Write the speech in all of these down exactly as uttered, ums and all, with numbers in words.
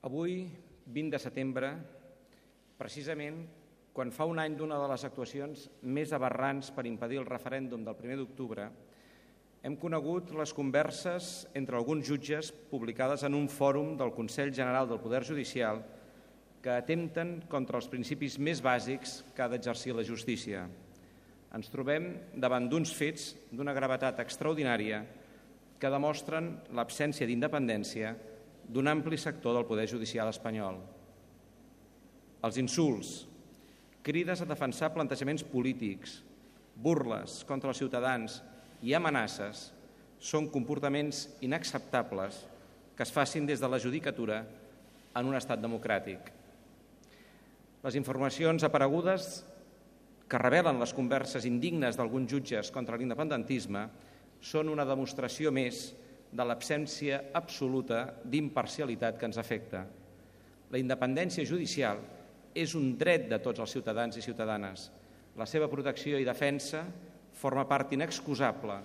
Avui, vint de setembre, precisament quan fa un any d'una de les actuacions més aberrants per impedir el referèndum del primer d'octubre, hem conegut les converses entre alguns jutges publicades en un fòrum del Consell General del Poder Judicial que atempten contra els principis més bàsics que ha d'exercir la justícia. Ens trobem davant d'uns fets d'una gravetat extraordinària que demostren l'absència d'independència d'un ampli sector del Poder Judicial espanyol. Els insults, crides a defensar plantejaments polítics, burles contra els ciutadans i amenaces són comportaments inacceptables que es facin des de la judicatura en un estat democràtic. Les informacions aparegudes que revelen les converses indignes d'alguns jutges contra l'independentisme són una demostració més de l'absència absoluta d'imparcialitat que ens afecta. La independència judicial és un dret de tots els ciutadans i ciutadanes. La seva protecció i defensa forma part inexcusable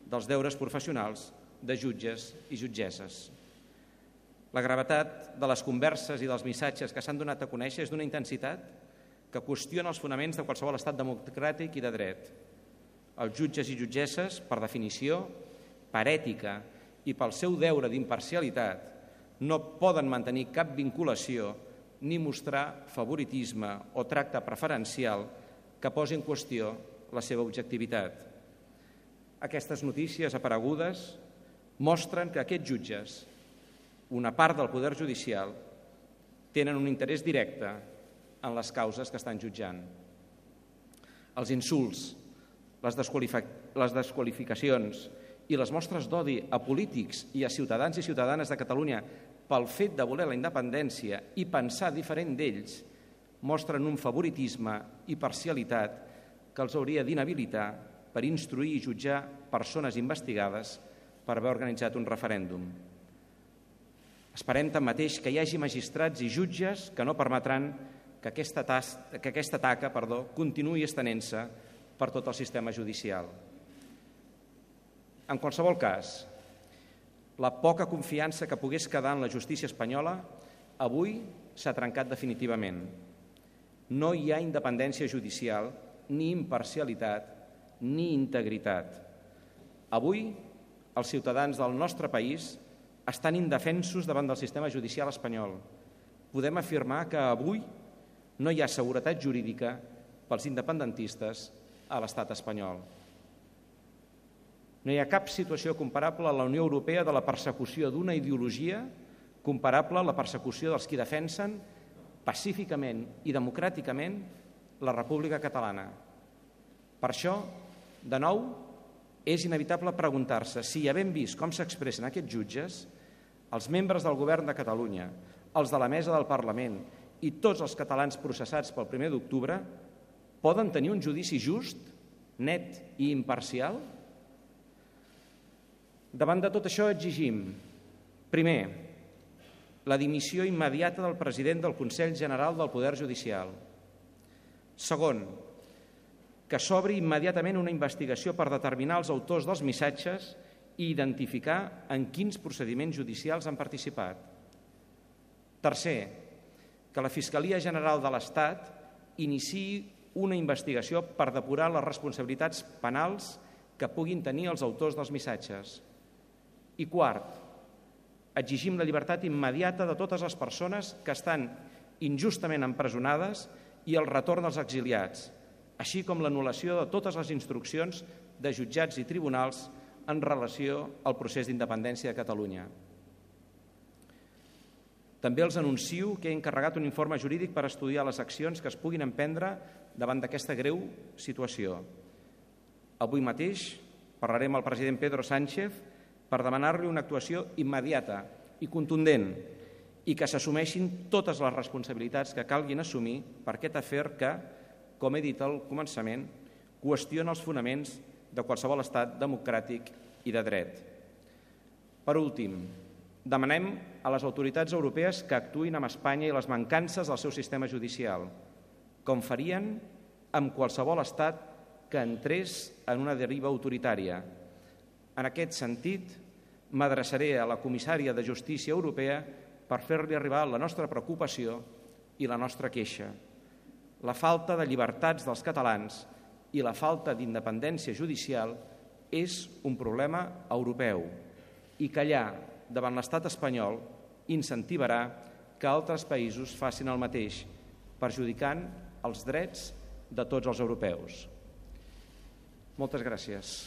dels deures professionals de jutges i jutgesses. La gravetat de les converses i dels missatges que s'han donat a conèixer és d'una intensitat que qüestiona els fonaments de qualsevol estat democràtic i de dret. Els jutges i jutgesses, per definició, per ètica i pel seu deure d'imparcialitat, no poden mantenir cap vinculació ni mostrar favoritisme o tracte preferencial que posi en qüestió la seva objectivitat. Aquestes notícies aparegudes mostren que aquests jutges, una part del Poder Judicial, tenen un interès directe en les causes que estan jutjant. Els insults, les, les desqualificacions i les mostres d'odi a polítics i a ciutadans i ciutadanes de Catalunya pel fet de voler la independència i pensar diferent d'ells mostren un favoritisme i parcialitat que els hauria d'inhabilitar per instruir i jutjar persones investigades per haver organitzat un referèndum. Esperem tanmateix que hi hagi magistrats i jutges que no permetran que aquesta, tas, que aquesta taca perdó, continuï estenent-se per tot el sistema judicial. En qualsevol cas, la poca confiança que pogués quedar en la justícia espanyola avui s'ha trencat definitivament. No hi ha independència judicial, ni imparcialitat, ni integritat. Avui, els ciutadans del nostre país estan indefensos davant del sistema judicial espanyol. Podem afirmar que avui no hi ha seguretat jurídica pels independentistes a l'estat espanyol. No hi ha cap situació comparable a la Unió Europea de la persecució d'una ideologia comparable a la persecució dels qui defensen pacíficament i democràticament la República Catalana. Per això, de nou, és inevitable preguntar-se si, havent vist com s'expressen aquests jutges, els membres del Govern de Catalunya, els de la mesa del Parlament i tots els catalans processats pel primer d'octubre poden tenir un judici just, net i imparcial? Davant de tot això exigim, primer, la dimissió immediata del president del Consell General del Poder Judicial. Segon, que s'obri immediatament una investigació per determinar els autors dels missatges i identificar en quins procediments judicials han participat. Tercer, que la Fiscalia General de l'Estat iniciï una investigació per depurar les responsabilitats penals que puguin tenir els autors dels missatges. I quart, exigim la llibertat immediata de totes les persones que estan injustament empresonades i el retorn dels exiliats, així com l'anul·lació de totes les instruccions de jutjats i tribunals en relació al procés d'independència de Catalunya. També els anuncio que he encarregat un informe jurídic per estudiar les accions que es puguin emprendre davant d'aquesta greu situació. Avui mateix parlarem amb el president Pedro Sánchez per demanar-li una actuació immediata i contundent i que s'assumeixin totes les responsabilitats que calguin assumir per aquest afer que, com he dit al començament, qüestiona els fonaments de qualsevol estat democràtic i de dret. Per últim, demanem a les autoritats europees que actuïn amb Espanya i les mancances del seu sistema judicial, com farien amb qualsevol estat que entrés en una deriva autoritària. En aquest sentit, m'adreçaré a la comissària de Justícia Europea per fer-li arribar la nostra preocupació i la nostra queixa. La falta de llibertats dels catalans i la falta d'independència judicial és un problema europeu i callar davant l'estat espanyol incentivarà que altres països facin el mateix, perjudicant els drets de tots els europeus. Moltes gràcies.